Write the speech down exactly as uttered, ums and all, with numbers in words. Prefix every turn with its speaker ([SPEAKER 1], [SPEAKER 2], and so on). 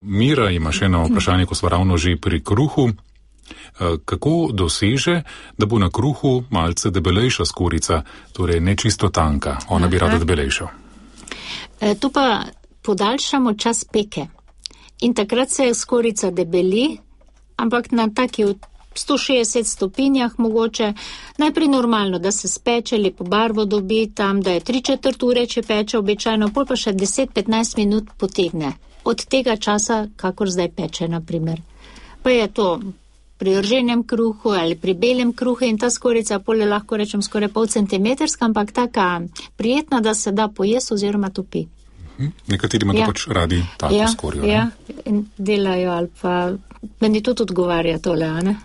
[SPEAKER 1] Mira ima še eno vprašanje, ko smo ravno že pri kruhu. Kako doseže, da bo na kruhu malce debelejša skorjica, torej ne čisto tanka? Ona bi rada debelejšo.
[SPEAKER 2] E, tu pa podaljšamo čas peke. In takrat se skorjica debeli, ampak na taki sto šestdeset stopinjah mogoče. Najprej normalno, da se speče, lepo barvo dobi, tam, da je tri četrt ure, če peče običajno, pol pa še deset do petnajst minut potegne. Od tega časa, kakor zdaj peče, na primer. Pa je to pri rženem kruhu ali pri belem kruhu in ta skorjica pol je lahko rečem skoraj pol centimetrska, ampak taka prijetna, da se da pojesti oziroma topi.
[SPEAKER 1] Nekateri ima ja. to pač radi tako
[SPEAKER 2] ja,
[SPEAKER 1] skorjo.
[SPEAKER 2] Ja, in delajo ali pa meni tudi odgovarja tole, a ne?